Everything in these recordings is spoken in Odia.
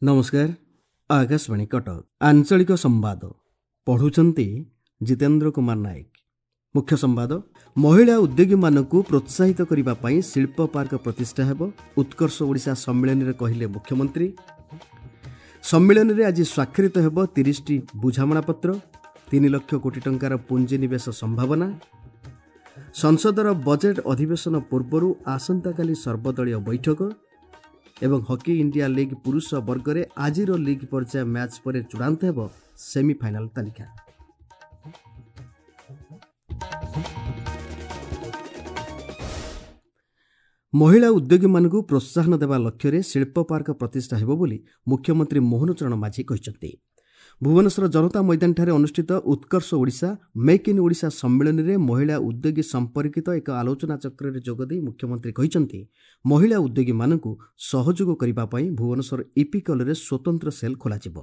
ନମସ୍କାର, ଆକାଶବାଣୀ କଟକ, ଆଞ୍ଚଳିକ ସମ୍ବାଦ ପଢ଼ୁଛନ୍ତି ଜିତେନ୍ଦ୍ର କୁମାର ନାୟକ। ମୁଖ୍ୟ ସମ୍ବାଦ। ମହିଳା ଉଦ୍ୟୋଗୀମାନଙ୍କୁ ପ୍ରୋତ୍ସାହିତ କରିବା ପାଇଁ ଶିଳ୍ପ ପାର୍କ ପ୍ରତିଷ୍ଠା ହେବ, ଉତ୍କର୍ଷ ଓଡ଼ିଶା ସମ୍ମିଳନୀରେ କହିଲେ ମୁଖ୍ୟମନ୍ତ୍ରୀ। ସମ୍ମିଳନୀରେ ଆଜି ସ୍ୱାକ୍ଷରିତ ହେବ 30ଟି ବୁଝାମଣାପତ୍ର, 3 ଲକ୍ଷ କୋଟି ଟଙ୍କାର ପୁଞ୍ଜିନିବେଶ ସମ୍ଭାବନା। ସଂସଦର ବଜେଟ୍ ଅଧିବେଶନ ପୂର୍ବରୁ ଆସନ୍ତାକାଲି ସର୍ବଦଳୀୟ ବୈଠକ ଏବଂ ହକି ଇଣ୍ଡିଆ ଲିଗ୍ ପୁରୁଷ ବର୍ଗରେ ଆଜିର ଲିଗ୍ ପର୍ଯ୍ୟାୟ ମ୍ୟାଚ୍ ପରେ ଚୂଡ଼ାନ୍ତ ହେବ ସେମିଫାଇନାଲ ତାଲିକା। ମହିଳା ଉଦ୍ୟୋଗୀମାନଙ୍କୁ ପ୍ରୋତ୍ସାହନ ଦେବା ଲକ୍ଷ୍ୟରେ ଶିଳ୍ପ ପାର୍କ ପ୍ରତିଷ୍ଠା ହେବ ବୋଲି ମୁଖ୍ୟମନ୍ତ୍ରୀ ମୋହନ ଚରଣ ମାଝୀ କହିଛନ୍ତି। ଭୁବନେଶ୍ୱର ଜନତା ମଇଦାନଠାରେ ଅନୁଷ୍ଠିତ ଉତ୍କର୍ଷ ଓଡ଼ିଶା ମେକ୍ ଇନ୍ ଓଡ଼ିଶା ସମ୍ମିଳନୀରେ ମହିଳା ଉଦ୍ୟୋଗୀ ସମ୍ପର୍କିତ ଏକ ଆଲୋଚନାଚକ୍ରରେ ଯୋଗଦେଇ ମୁଖ୍ୟମନ୍ତ୍ରୀ କହିଛନ୍ତି, ମହିଳା ଉଦ୍ୟୋଗୀମାନଙ୍କୁ ସହଯୋଗ କରିବା ପାଇଁ ଭୁବନେଶ୍ୱର ଇପିକଲରେ ସ୍ୱତନ୍ତ୍ର ସେଲ୍ ଖୋଲାଯିବ।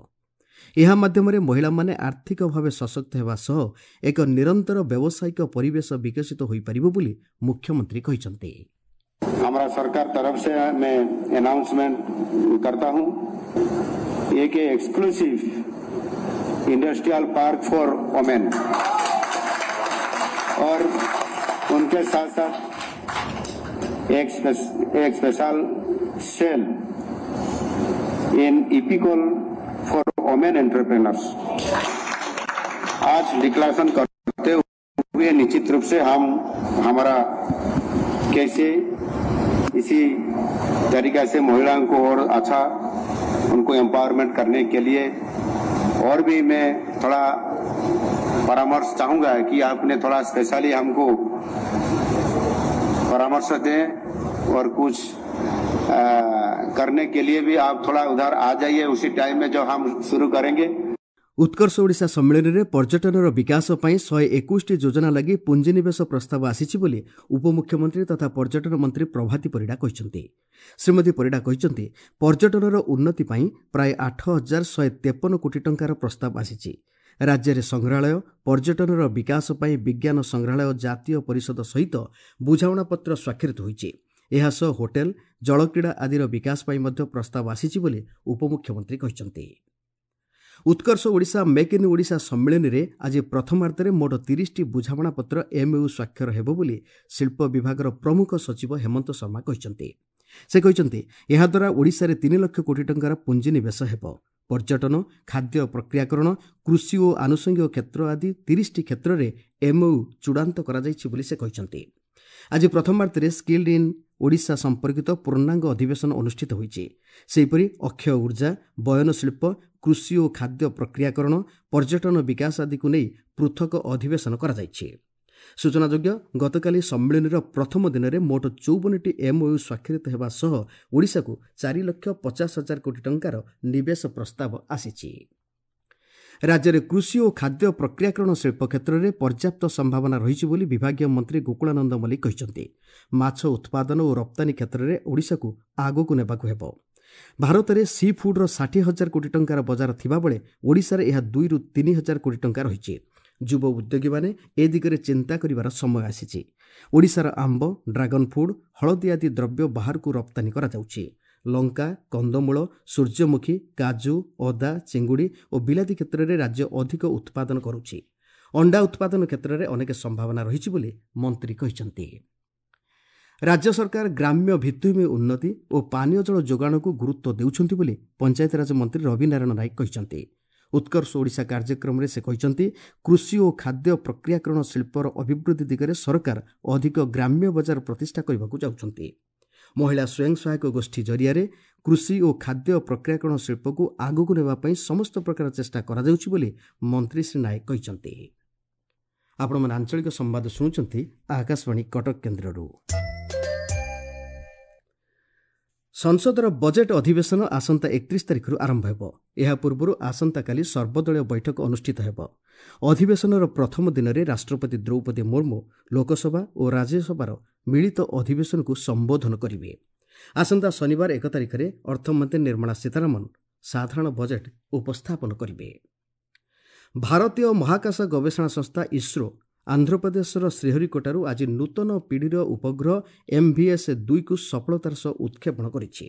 ଏହା ମାଧ୍ୟମରେ ମହିଳାମାନେ ଆର୍ଥିକ ଭାବେ ସଶକ୍ତ ହେବା ସହ ଏକ ନିରନ୍ତର ବ୍ୟବସାୟିକ ପରିବେଶ ବିକଶିତ ହୋଇପାରିବ ବୋଲି ମୁଖ୍ୟମନ୍ତ୍ରୀ କହିଛନ୍ତି। हमारा सरकार तरफ से मैं अनाउंसमेंट करता हूं, एक exclusive industrial park for women और उनके साथ साथ एक special cell in IPICOL for women entrepreneurs. आज डिक्लेरेशन करते हुए निश्चित रूप से हम हमारा कैसे इसी तरीका से महिलाओं को और अच्छा उनको एम्पावरमेंट करने के लिए और भी मैं थोड़ा परामर्श चाहूँगा कि आपने थोड़ा स्पेशली हमको परामर्श दें और कुछ करने के लिए भी आप थोड़ा उधर आ जाइए उसी टाइम में जो हम शुरू करेंगे। ଉତ୍କର୍ଷ ଓଡ଼ିଶା ସମ୍ମିଳନୀରେ ପର୍ଯ୍ୟଟନର ବିକାଶ ପାଇଁ 121ଟି ଯୋଜନା ଲାଗି ପୁଞ୍ଜିନିବେଶ ପ୍ରସ୍ତାବ ଆସିଛି ବୋଲି ଉପମୁଖ୍ୟମନ୍ତ୍ରୀ ତଥା ପର୍ଯ୍ୟଟନ ମନ୍ତ୍ରୀ ପ୍ରଭାତୀ ପରିଡ଼ା କହିଛନ୍ତି। ଶ୍ରୀମତୀ ପରିଡ଼ା କହିଛନ୍ତି, ପର୍ଯ୍ୟଟନର ଉନ୍ନତି ପାଇଁ ପ୍ରାୟ 8153 କୋଟି ଟଙ୍କାର ପ୍ରସ୍ତାବ ଆସିଛି। ରାଜ୍ୟରେ ସଂଗ୍ରହାଳୟ ପର୍ଯ୍ୟଟନର ବିକାଶ ପାଇଁ ବିଜ୍ଞାନ ସଂଗ୍ରହାଳୟ ଜାତୀୟ ପରିଷଦ ସହିତ ବୁଝାମଣାପତ୍ର ସ୍ୱାକ୍ଷରିତ ହୋଇଛି। ଏହାସହ ହୋଟେଲ, ଜଳକ୍ରୀଡ଼ା ଆଦିର ବିକାଶ ପାଇଁ ମଧ୍ୟ ପ୍ରସ୍ତାବ ଆସିଛି ବୋଲି ଉପମୁଖ୍ୟମନ୍ତ୍ରୀ କହିଛନ୍ତି। ଉତ୍କର୍ଷ ଓଡ଼ିଶା ମେକ୍ ଇନ୍ ଓଡ଼ିଶା ସମ୍ମିଳନୀରେ ଆଜି ପ୍ରଥମାର୍ଦ୍ଧରେ ମୋଟ 30ଟି ବୁଝାମଣାପତ୍ର ଏମ୍ଓୟୁ ସ୍ୱାକ୍ଷର ହେବ ବୋଲି ଶିଳ୍ପ ବିଭାଗର ପ୍ରମୁଖ ସଚିବ ହେମନ୍ତ ଶର୍ମା କହିଛନ୍ତି। ସେ କହିଛନ୍ତି, ଏହାଦ୍ୱାରା ଓଡ଼ିଶାରେ 3 ଲକ୍ଷ କୋଟି ଟଙ୍କାର ପୁଞ୍ଜିନିବେଶ ହେବ। ପର୍ଯ୍ୟଟନ, ଖାଦ୍ୟ ପ୍ରକ୍ରିୟାକରଣ, କୃଷି ଓ ଆନୁଷଙ୍ଗିକ କ୍ଷେତ୍ର ଆଦି 30ଟି କ୍ଷେତ୍ରରେ ଏମ୍ଓୟୁ ଚୂଡ଼ାନ୍ତ କରାଯାଇଛି ବୋଲି ସେ କହିଛନ୍ତି। ଆଜି ପ୍ରଥମାର୍ଦ୍ଧରେ ସ୍କିଲ୍ଡ ଇନ୍ ଓଡ଼ିଶା ସମ୍ପର୍କିତ ପୂର୍ଣ୍ଣାଙ୍ଗ ଅଧିବେଶନ ଅନୁଷ୍ଠିତ ହୋଇଛି। ସେହିପରି ଅକ୍ଷୟ ଉର୍ଜା, ବୟନଶିଳ୍ପ, କୃଷି ଓ ଖାଦ୍ୟ ପ୍ରକ୍ରିୟାକରଣ, ପର୍ଯ୍ୟଟନ ବିକାଶ ଆଦିକୁ ନେଇ ପୃଥକ ଅଧିବେଶନ କରାଯାଇଛି। ସୂଚନାଯୋଗ୍ୟ, ଗତକାଲି ସମ୍ମିଳନୀର ପ୍ରଥମ ଦିନରେ ମୋଟ 54ଟି ଏମ୍ଓୟୁ ସ୍ୱାକ୍ଷରିତ ହେବା ସହ ଓଡ଼ିଶାକୁ 4,50,000 କୋଟି ଟଙ୍କାର ନିବେଶ ପ୍ରସ୍ତାବ ଆସିଛି। ରାଜ୍ୟରେ କୃଷି ଓ ଖାଦ୍ୟ ପ୍ରକ୍ରିୟାକରଣ ଶିଳ୍ପ କ୍ଷେତ୍ରରେ ପର୍ଯ୍ୟାପ୍ତ ସମ୍ଭାବନା ରହିଛି ବୋଲି ବିଭାଗୀୟ ମନ୍ତ୍ରୀ ଗୋକୁଳାନନ୍ଦ ମଲ୍ଲିକ କହିଛନ୍ତି। ମାଛ ଉତ୍ପାଦନ ଓ ରପ୍ତାନୀ କ୍ଷେତ୍ରରେ ଓଡ଼ିଶାକୁ ଆଗକୁ ନେବାକୁ ହେବ। ଭାରତରେ ସି ଫୁଡ୍ର 60,000 କୋଟି ଟଙ୍କାର ବଜାର ଥିବାବେଳେ ଓଡ଼ିଶାରେ ଏହା 2ରୁ 3 ହଜାର କୋଟି ଟଙ୍କା ରହିଛି। ଯୁବ ଉଦ୍ୟୋଗୀମାନେ ଏ ଦିଗରେ ଚିନ୍ତା କରିବାର ସମୟ ଆସିଛି। ଓଡ଼ିଶାର ଆମ୍ବ, ଡ୍ରାଗନ୍ ଫୁଡ୍, ହଳଦୀ ଆଦି ଦ୍ରବ୍ୟ ବାହାରକୁ ରପ୍ତାନୀ କରାଯାଉଛି। ଲଙ୍କା, କନ୍ଦମୂଳ, ସୂର୍ଯ୍ୟମୁଖୀ, କାଜୁ, ଅଦା, ଚିଙ୍ଗୁଡ଼ି ଓ ବିଲାତି କ୍ଷେତ୍ରରେ ରାଜ୍ୟ ଅଧିକ ଉତ୍ପାଦନ କରୁଛି। ଅଣ୍ଡା ଉତ୍ପାଦନ କ୍ଷେତ୍ରରେ ଅନେକ ସମ୍ଭାବନା ରହିଛି ବୋଲି ମନ୍ତ୍ରୀ କହିଛନ୍ତି। ରାଜ୍ୟ ସରକାର ଗ୍ରାମ୍ୟ ଭିତ୍ତିଭୂମି ଉନ୍ନତି ଓ ପାନୀୟ ଜଳ ଯୋଗାଣକୁ ଗୁରୁତ୍ୱ ଦେଉଛନ୍ତି ବୋଲି ପଞ୍ଚାୟତିରାଜ ମନ୍ତ୍ରୀ ରବିନାରାୟଣ ନାୟକ କହିଛନ୍ତି। ଉତ୍କର୍ଷ ଓଡ଼ିଶା କାର୍ଯ୍ୟକ୍ରମରେ ସେ କହିଛନ୍ତି, କୃଷି ଓ ଖାଦ୍ୟ ପ୍ରକ୍ରିୟାକରଣ ଶିଳ୍ପର ଅଭିବୃଦ୍ଧି ଦିଗରେ ସରକାର ଅଧିକ ଗ୍ରାମ୍ୟ ବଜାର ପ୍ରତିଷ୍ଠା କରିବାକୁ ଯାଉଛନ୍ତି। ମହିଳା ସ୍ୱୟଂ ସହାୟକ ଗୋଷ୍ଠୀ ଜରିଆରେ କୃଷି ଓ ଖାଦ୍ୟ ପ୍ରକ୍ରିୟାକରଣ ଶିଳ୍ପକୁ ଆଗକୁ ନେବା ପାଇଁ ସମସ୍ତ ପ୍ରକାର ଚେଷ୍ଟା କରାଯାଉଛି ବୋଲି ମନ୍ତ୍ରୀ ଶ୍ରୀ ନାୟକ କହିଛନ୍ତି। ଆପଣମାନେ ଆଞ୍ଚଳିକ ସମ୍ବାଦ ଶୁଣୁଛନ୍ତି ଆକାଶବାଣୀ କଟକ କେନ୍ଦ୍ରରୁ। ସଂସଦର ବଜେଟ୍ ଅଧିବେଶନ ଆସନ୍ତା 31 ତାରିଖରୁ ଆରମ୍ଭ ହେବ। ଏହା ପୂର୍ବରୁ ଆସନ୍ତାକାଲି ସର୍ବଦଳୀୟ ବୈଠକ ଅନୁଷ୍ଠିତ ହେବ। ଅଧିବେଶନର ପ୍ରଥମ ଦିନରେ ରାଷ୍ଟ୍ରପତି ଦ୍ରୌପଦୀ ମୁର୍ମୁ ଲୋକସଭା ଓ ରାଜ୍ୟସଭାର ମିଳିତ ଅଧିବେଶନକୁ ସମ୍ବୋଧନ କରିବେ। ଆସନ୍ତା ଶନିବାର 1 ତାରିଖରେ ଅର୍ଥମନ୍ତ୍ରୀ ନିର୍ମଳା ସୀତାରମଣ ସାଧାରଣ ବଜେଟ୍ ଉପସ୍ଥାପନ କରିବେ। ଭାରତୀୟ ମହାକାଶ ଗବେଷଣା ସଂସ୍ଥା ଇସ୍ରୋ ଆନ୍ଧ୍ରପ୍ରଦେଶର ଶ୍ରୀହରିକୋଟାରୁ ଆଜି ନୂତନ ପିଢ଼ିର ଉପଗ୍ରହ ଏମ୍ଭିଏସ୍ 2କୁ ସଫଳତାର ସହ ଉତ୍କ୍ଷେପଣ କରିଛି।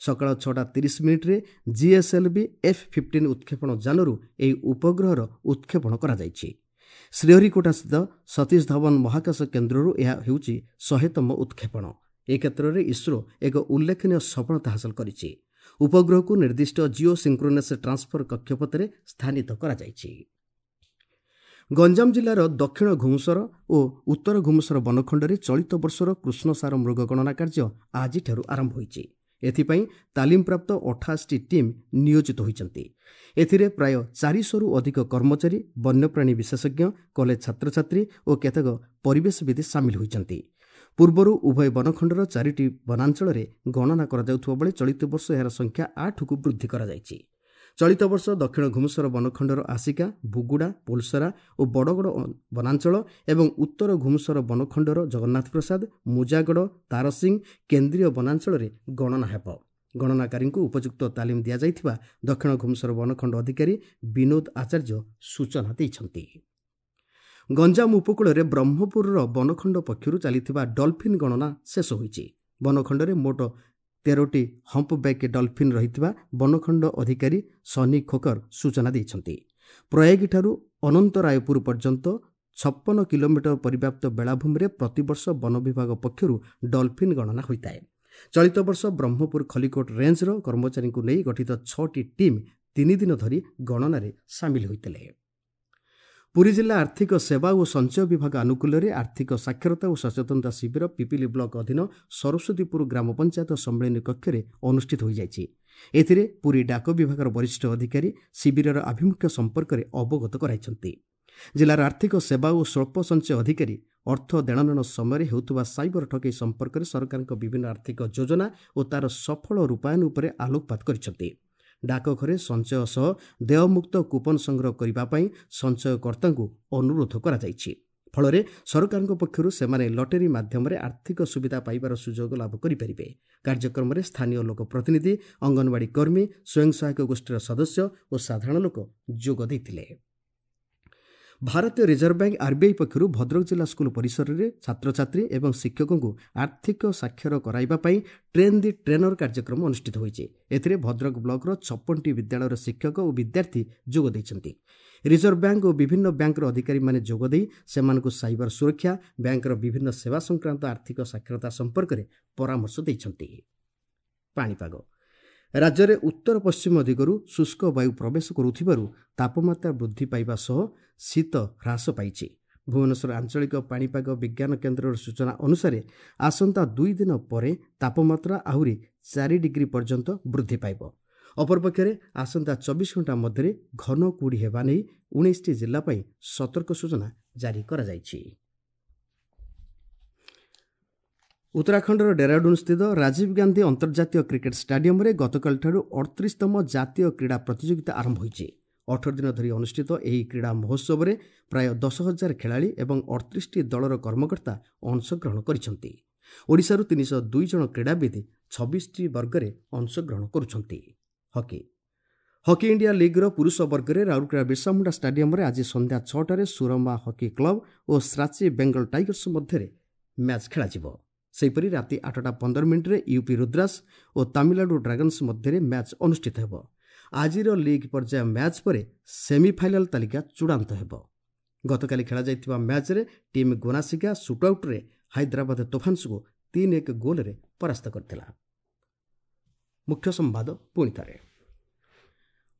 ସକାଳ 6ଟା 30 ମିନିଟ୍ରେ ଜିଏସ୍ଏଲ୍ଭି ଏଫ୍-15 ଉତ୍କ୍ଷେପଣ ଯାନରୁ ଏହି ଉପଗ୍ରହର ଉତ୍କ୍ଷେପଣ କରାଯାଇଛି। ଶ୍ରୀହରିକୋଟାସ୍ଥିତ ସତୀଶ ଧାୱନ ମହାକାଶ କେନ୍ଦ୍ରରୁ ଏହା ହେଉଛି 100ତମ ଉତ୍କ୍ଷେପଣ। ଏ କ୍ଷେତ୍ରରେ ଇସ୍ରୋ ଏକ ଉଲ୍ଲେଖନୀୟ ସଫଳତା ହାସଲ କରିଛି। ଉପଗ୍ରହକୁ ନିର୍ଦ୍ଦିଷ୍ଟ ଜିଓ ସିଙ୍କ୍ରୋନସ୍ ଟ୍ରାନ୍ସଫର କକ୍ଷପଥରେ ସ୍ଥାନିତ କରାଯାଇଛି। ଗଞ୍ଜାମ ଜିଲ୍ଲାର ଦକ୍ଷିଣ ଘୁମୁସର ଓ ଉତ୍ତର ଘୁମୁସର ବନଖଣ୍ଡରେ ଚଳିତ ବର୍ଷର କୃଷ୍ଣସାର ମୃଗ ଗଣନା କାର୍ଯ୍ୟ ଆଜିଠାରୁ ଆରମ୍ଭ ହୋଇଛି। ଏଥିପାଇଁ ତାଲିମପ୍ରାପ୍ତ 88ଟି ଟିମ୍ ନିୟୋଜିତ ହୋଇଛନ୍ତି। ଏଥିରେ ପ୍ରାୟ 400ରୁ ଅଧିକ କର୍ମଚାରୀ, ବନ୍ୟପ୍ରାଣୀ ବିଶେଷଜ୍ଞ, କଲେଜ ଛାତ୍ରଛାତ୍ରୀ ଓ କେତେକ ପରିବେଶବିଦ ସାମିଲ ହୋଇଛନ୍ତି। ପୂର୍ବରୁ ଉଭୟ ବନଖଣ୍ଡର ଚାରିଟି ବନାଞ୍ଚଳରେ ଗଣନା କରାଯାଉଥିବା ବେଳେ ଚଳିତ ବର୍ଷ ଏହାର ସଂଖ୍ୟା 8କୁ ବୃଦ୍ଧି କରାଯାଇଛି। ଚଳିତ ବର୍ଷ ଦକ୍ଷିଣ ଘୁମୁସର ବନଖଣ୍ଡର ଆସିକା, ବୁଗୁଡ଼ା, ପୋଲସରା ଓ ବଡ଼ଗଡ଼ ବନାଞ୍ଚଳ ଏବଂ ଉତ୍ତର ଘୁମୁସର ବନଖଣ୍ଡର ଜଗନ୍ନାଥ ପ୍ରସାଦ, ମୁଜାଗଡ଼, ତାରସିଂ କେନ୍ଦ୍ରୀୟ ବନାଞ୍ଚଳରେ ଗଣନା ହେବ। ଗଣନାକାରୀଙ୍କୁ ଉପଯୁକ୍ତ ତାଲିମ ଦିଆଯାଇଥିବା ଦକ୍ଷିଣ ଘୁମୁସର ବନଖଣ୍ଡ ଅଧିକାରୀ ବିନୋଦ ଆଚାର୍ଯ୍ୟ ସୂଚନା ଦେଇଛନ୍ତି। ଗଞ୍ଜାମ ଉପକୂଳରେ ବ୍ରହ୍ମପୁରର ବନଖଣ୍ଡ ପକ୍ଷରୁ ଚାଲିଥିବା ଡଲଫିନ୍ ଗଣନା ଶେଷ ହୋଇଛି। ବନଖଣ୍ଡରେ ମୋଟ 13ଟି ହମ୍ପବ୍ୟାକ୍ ଡଲଫିନ୍ ରହିଥିବା ବନଖଣ୍ଡ ଅଧିକାରୀ ସନି ଖୋକର ସୂଚନା ଦେଇଛନ୍ତି। ପ୍ରୟାଗୀଠାରୁ ଅନନ୍ତରାୟପୁର ପର୍ଯ୍ୟନ୍ତ 56 କିଲୋମିଟର ପରିବ୍ୟାପ୍ତ ବେଳାଭୂମିରେ ପ୍ରତିବର୍ଷ ବନ ବିଭାଗ ପକ୍ଷରୁ ଡଲଫିନ୍ ଗଣନା ହୋଇଥାଏ। ଚଳିତ ବର୍ଷ ବ୍ରହ୍ମପୁର ଖଲିକୋଟ ରେଞ୍ଜର କର୍ମଚାରୀଙ୍କୁ ନେଇ ଗଠିତ ଛଅଟି ଟିମ୍ 3 ଦିନ ଧରି ଗଣନାରେ ସାମିଲ ହୋଇଥିଲେ। ପୁରୀ ଜିଲ୍ଲା ଆର୍ଥିକ ସେବା ଓ ସଞ୍ଚୟ ବିଭାଗ ଆନୁକୂଲ୍ୟରେ ଆର୍ଥିକ ସାକ୍ଷରତା ଓ ସଚେତନତା ଶିବିର ପିପିଲି ବ୍ଲକ ଅଧୀନ ସରସ୍ୱତୀପୁର ଗ୍ରାମ ପଞ୍ଚାୟତ ସମ୍ମିଳନୀ କକ୍ଷରେ ଅନୁଷ୍ଠିତ ହୋଇଯାଇଛି। ଏଥିରେ ପୁରୀ ଡାକ ବିଭାଗର ବରିଷ୍ଠ ଅଧିକାରୀ ଶିବିରର ଆଭିମୁଖ୍ୟ ସମ୍ପର୍କରେ ଅବଗତ କରାଇଛନ୍ତି। ଜିଲ୍ଲାର ଆର୍ଥିକ ସେବା ଓ ସ୍ୱଳ୍ପ ସଞ୍ଚୟ ଅଧିକାରୀ ଅର୍ଥ ଦେଣନେଣ ସମୟରେ ହେଉଥିବା ସାଇବର ଠକେଇ ସମ୍ପର୍କରେ ସରକାରଙ୍କ ବିଭିନ୍ନ ଆର୍ଥିକ ଯୋଜନା ଓ ତା'ର ସଫଳ ରୂପାୟନ ଉପରେ ଆଲୋକପାତ କରିଛନ୍ତି। ଡାକଘରେ ସଞ୍ଚୟ ସହ ଦେୟମୁକ୍ତ କୁପନ ସଂଗ୍ରହ କରିବା ପାଇଁ ସଞ୍ଚୟକର୍ତ୍ତାଙ୍କୁ ଅନୁରୋଧ କରାଯାଇଛି। ଫଳରେ ସରକାରଙ୍କ ପକ୍ଷରୁ ସେମାନେ ଲଟେରୀ ମାଧ୍ୟମରେ ଆର୍ଥିକ ସୁବିଧା ପାଇବାର ସୁଯୋଗ ଲାଭ କରିପାରିବେ। କାର୍ଯ୍ୟକ୍ରମରେ ସ୍ଥାନୀୟ ଲୋକପ୍ରତିନିଧି, ଅଙ୍ଗନବାଡ଼ି କର୍ମୀ, ସ୍ୱୟଂ ସହାୟକ ଗୋଷ୍ଠୀର ସଦସ୍ୟ ଓ ସାଧାରଣ ଲୋକ ଯୋଗ ଦେଇଥିଲେ। ଭାରତୀୟ ରିଜର୍ଭ ବ୍ୟାଙ୍କ ଆର୍ବିଆଇ ପକ୍ଷରୁ ଭଦ୍ରକ ଜିଲ୍ଲା ସ୍କୁଲ ପରିସରରେ ଛାତ୍ରଛାତ୍ରୀ ଏବଂ ଶିକ୍ଷକଙ୍କୁ ଆର୍ଥିକ ସାକ୍ଷର କରାଇବା ପାଇଁ ଟ୍ରେନ୍ ଦି ଟ୍ରେନର କାର୍ଯ୍ୟକ୍ରମ ଅନୁଷ୍ଠିତ ହୋଇଛି। ଏଥିରେ ଭଦ୍ରକ ବ୍ଲକର 56ଟି ବିଦ୍ୟାଳୟର ଶିକ୍ଷକ ଓ ବିଦ୍ୟାର୍ଥୀ ଯୋଗ ଦେଇଛନ୍ତି। ରିଜର୍ଭ ବ୍ୟାଙ୍କ ଓ ବିଭିନ୍ନ ବ୍ୟାଙ୍କର ଅଧିକାରୀମାନେ ଯୋଗଦେଇ ସେମାନଙ୍କୁ ସାଇବର ସୁରକ୍ଷା, ବ୍ୟାଙ୍କର ବିଭିନ୍ନ ସେବା ସଂକ୍ରାନ୍ତ ଆର୍ଥିକ ସାକ୍ଷରତା ସମ୍ପର୍କରେ ପରାମର୍ଶ ଦେଇଛନ୍ତି। ପାଣିପାଗ: ରାଜ୍ୟରେ ଉତ୍ତର ପଶ୍ଚିମ ଦିଗରୁ ଶୁଷ୍କ ବାୟୁ ପ୍ରବେଶ କରୁଥିବାରୁ ତାପମାତ୍ରା ବୃଦ୍ଧି ପାଇବା ସହ ଶୀତ ହ୍ରାସ ପାଇଛି। ଭୁବନେଶ୍ୱର ଆଞ୍ଚଳିକ ପାଣିପାଗ ବିଜ୍ଞାନ କେନ୍ଦ୍ରର ସୂଚନା ଅନୁସାରେ ଆସନ୍ତା 2 ଦିନ ପରେ ତାପମାତ୍ରା ଆହୁରି 4 ଡିଗ୍ରୀ ପର୍ଯ୍ୟନ୍ତ ବୃଦ୍ଧି ପାଇବ। ଅପରପକ୍ଷରେ ଆସନ୍ତା 24 ଘଣ୍ଟା ମଧ୍ୟରେ ଘନ କୁହୁଡ଼ି ହେବା ନେଇ 19ଟି ଜିଲ୍ଲା ପାଇଁ ସତର୍କ ସୂଚନା ଜାରି କରାଯାଇଛି। ଉତ୍ତରାଖଣ୍ଡର ଡେରାଡୁନ୍ସ୍ଥିତ ରାଜୀବ ଗାନ୍ଧୀ ଅନ୍ତର୍ଜାତୀୟ କ୍ରିକେଟ୍ ଷ୍ଟାଡିୟମରେ ଗତକାଲିଠାରୁ 38ତମ ଜାତୀୟ କ୍ରୀଡ଼ା ପ୍ରତିଯୋଗିତା ଆରମ୍ଭ ହୋଇଛି। 18 ଦିନ ଧରି ଅନୁଷ୍ଠିତ ଏହି କ୍ରୀଡ଼ା ମହୋତ୍ସବରେ ପ୍ରାୟ 10,000 ଖେଳାଳି ଏବଂ 38ଟି ଦଳର କର୍ମକର୍ତ୍ତା ଅଂଶଗ୍ରହଣ କରିଛନ୍ତି। ଓଡ଼ିଶାରୁ 302 ଜଣ କ୍ରୀଡ଼ାବିତ୍ 26ଟି ବର୍ଗରେ ଅଂଶଗ୍ରହଣ କରୁଛନ୍ତି। ହକି: ହକି ଇଣ୍ଡିଆ ଲିଗ୍ର ପୁରୁଷ ବର୍ଗରେ ରାଉରକେଲା ବିର୍ସାମୁଣ୍ଡା ଷ୍ଟାଡିୟମରେ ଆଜି ସନ୍ଧ୍ୟା 6ଟାରେ ସୁରମା ହକି କ୍ଲବ ଓ ଶ୍ରାଚୀ ବେଙ୍ଗଲ ଟାଇଗର୍ସ ମଧ୍ୟରେ ମ୍ୟାଚ୍ ଖେଳାଯିବ। ସେହିପରି ରାତି 8ଟା 15 ମିନିଟ୍ରେ ୟୁପି ରୁଦ୍ରାସ ଓ ତାମିଲନାଡୁ ଡ୍ରାଗନ୍ସ ମଧ୍ୟରେ ମ୍ୟାଚ୍ ଅନୁଷ୍ଠିତ ହେବ। ଆଜିର ଲିଗ୍ ପର୍ଯ୍ୟାୟ ମ୍ୟାଚ୍ ପରେ ସେମିଫାଇନାଲ୍ ତାଲିକା ଚୂଡ଼ାନ୍ତ ହେବ। ଗତକାଲି ଖେଳାଯାଇଥିବା ମ୍ୟାଚ୍ରେ ଟିମ୍ ଗୋନାସିକା ସୁଟ୍ଆଉଟ୍ରେ ହାଇଦ୍ରାବାଦ ତୋଫାନ୍ସକୁ 3-1 ଗୋଲ୍ରେ ପରାସ୍ତ କରିଥିଲା। ମୁଖ୍ୟ ସମ୍ବାଦ ପୁଣି ଥରେ।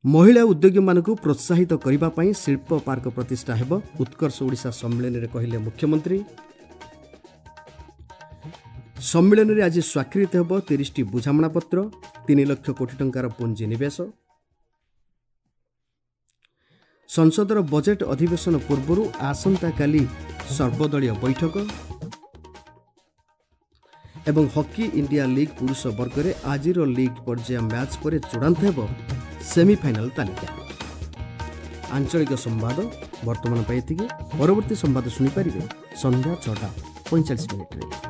ମହିଳା ଉଦ୍ୟୋଗୀମାନଙ୍କୁ ପ୍ରୋତ୍ସାହିତ କରିବା ପାଇଁ ଶିଳ୍ପ ପାର୍କ ପ୍ରତିଷ୍ଠା ହେବ, ଉତ୍କର୍ଷ ଓଡ଼ିଶା ସମ୍ମିଳନୀରେ କହିଲେ ମୁଖ୍ୟମନ୍ତ୍ରୀ। ସମ୍ମିଳନୀରେ ଆଜି ସ୍ୱାକ୍ଷରିତ ହେବ 30ଟି ବୁଝାମଣାପତ୍ର, 3 ଲକ୍ଷ କୋଟି ଟଙ୍କାର ପୁଞ୍ଜିନିବେଶ। ସଂସଦର ବଜେଟ୍ ଅଧିବେଶନ ପୂର୍ବରୁ ଆସନ୍ତାକାଲି ସର୍ବଦଳୀୟ ବୈଠକ ଏବଂ ହକି ଇଣ୍ଡିଆ ଲିଗ୍ ପୁରୁଷ ବର୍ଗରେ ଆଜିର ଲିଗ୍ ପର୍ଯ୍ୟାୟ ମ୍ୟାଚ୍ ପରେ ଚୂଡ଼ାନ୍ତ ହେବ ସେମିଫାଇନାଲ୍ ତାଲିକା। ଆଞ୍ଚଳିକ ସମ୍ବାଦ ବର୍ତ୍ତମାନ ପାଇଁ ଏତିକି। ପରବର୍ତ୍ତୀ ସମ୍ବାଦ ଶୁଣିପାରିବେ ସନ୍ଧ୍ୟା 6ଟା 45 ମିନିଟ୍ରେ।